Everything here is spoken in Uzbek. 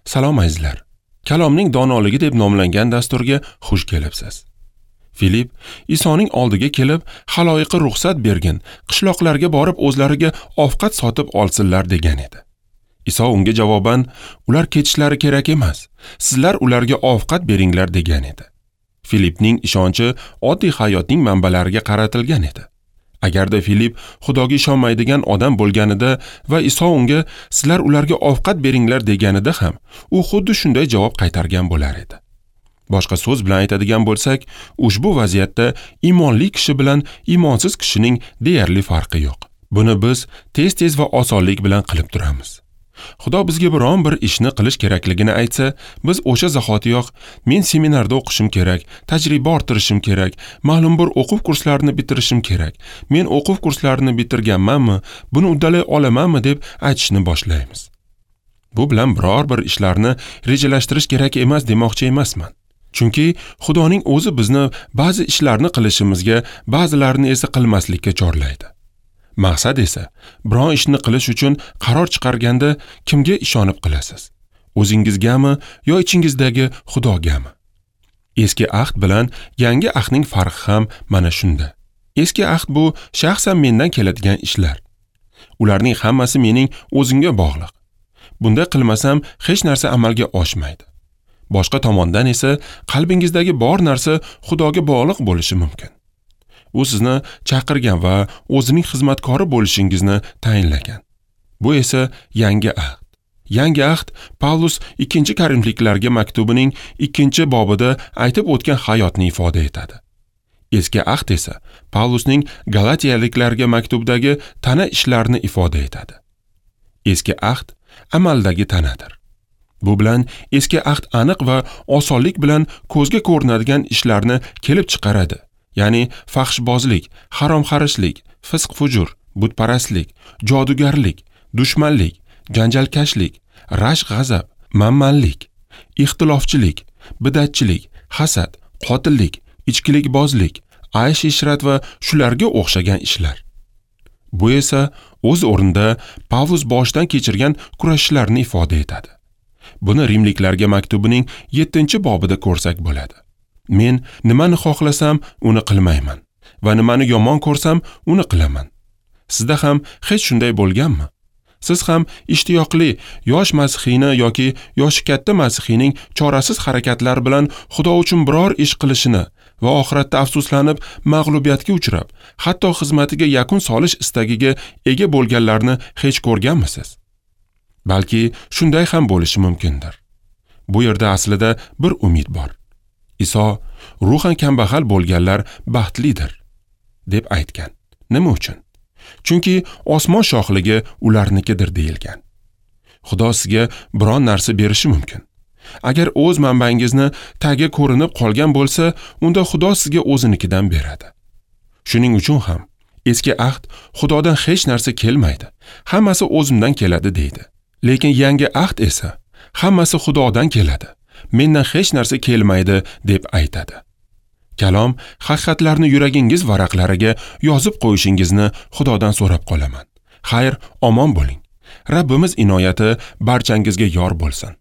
Salom azizlar. Kalomning donoligi deb nomlangan dasturga xush kelibsiz. Filip Isoning oldiga kelib, xaloyiqqa ruxsat bergin, qishloqlarga borib o'zlariga ovqat sotib olsinlar degan edi. Iso unga javoban, ular ketishlari kerak emas, sizlar ularga ovqat beringlar degan edi. Filipning ishonchi oddiy hayotning manbalariga qaratilgan edi. Agarda Filip Xudoga ishonmaydigan odam bo'lganida va Iso unga sizlar ularga ovqat beringlar deganida ham u xuddi shunday javob qaytargan bo'lar edi. Boshqa so'z bilan aytadigan bo'lsak, ushbu vaziyatda iymonli kishi bilan iymonsiz kishining deyarli farqi yo'q. Buni biz tez-tez va osonlik bilan qilib turamiz. Xudo bizga biron bir ishni qilish kerakligini aytsa, biz o'sha zahotiyoq men seminarda o'qishim kerak, tajriba orttirishim kerak, ma'lum bir o'quv kurslarini bitirishim kerak, men o'quv kurslarini bitirganmanmi, buni uddalay olamanmi deb aytishni boshlaymiz. Bu bilan biror bir ishlarni rejalashtirish kerak emas demoqchi emasman. Chunki Xudoning o'zi bizni ba'zi ishlarni qilishimizga, ba'zilarini esa qilmaslikka chorlaydi. Maqsad esa biron ishni qilish uchun qaror chiqarganda kimga ishonib qilasiz? O'zingizgami yo ichingizdagi Xudogami? Eski ahd bilan yangi ahdning farqi ham mana shunda. Eski ahd bu shaxsan mendan keladigan ishlar. Ularning hammasi mening o'zimga bog'liq. Bunday qilmasam hech narsa amalga oshmaydi. Boshqa tomondan esa qalbingizdagi bor narsa Xudoga bog'liq bo'lishi mumkin. U sizni chaqirgan va o'zining xizmatkori bo'lishingizni tayinlagan. Bu esa yangi ahd. Yangi ahd Pavlus 2-Korinfliklarga maktubining 2-bobida aytib o'tgan hayotni ifoda etadi. Eski ahd esa Pavlusning Galatiyaliklarga maktubdagi tana ishlarini ifoda etadi. Eski ahd amaldagi tanadir. Bu bilan eski ahd aniq va osonlik bilan ko'zga ko'rinadigan ishlarni kelib chiqaradi. Ya'ni fahshbozlik, haromxarishlik, fisq-fujur, butparastlik, jodugarlik, dushmanlik, janjalkashlik, rashk-g'azab, manmanlik, ixtilofchilik, bidatchilik, hasad, qotillik, ichkilikbozlik, aysh-ishrat va shularga o'xshagan ishlar. Bu esa o'z o'rnida Pavlus boshdan kechirgan kurashlarni ifoda etadi. Buni Rimliklarga maktubining 7-bobida ko'rsak bo'ladi. Men nimani xohlasam, uni qilmayman va nimani yomon ko'rsam, uni qilaman. Sizda ham hech shunday bo'lganmi? Siz ham ishtiyoqli yosh masihiyni yoki yoshi katta masihiyning chorasiz harakatlar bilan Xudo uchun biror ish qilishini va oxiratda afsuslanib mag'lubiyatga uchrab, hatto xizmatiga yakun solish istagiga ega bo'lganlarni hech ko'rganmisiz? Balki shunday ham bo'lishi mumkindir. Bu yerda aslida bir umid bor. Iso ruhan kambag'al bo'lganlar baxtlidir deb aytgan. Nima uchun? Chunki osmon shohligi ularnikidir deyilgan. Xudo sizga biron narsa berishi mumkin. Agar o'z manbangizni tagi ko'rinib qolgan bo'lsa, unda Xudo sizga o'zinikidan beradi. Shuning uchun ham eski ahd Xudodan hech narsa kelmaydi, hammasi o'zimdan keladi deydi. Lekin yangi ahd esa hammasi Xudodan keladi, mendan hech narsa kelmaydi deb aytadi. Kalom haqiqatlarni yuragingiz varaqlariga yozib qo'yishingizni Xudodan so'rab qolaman. Xayr, omon bo'ling. Rabbimiz inoyati barchangizga yor bo'lsin.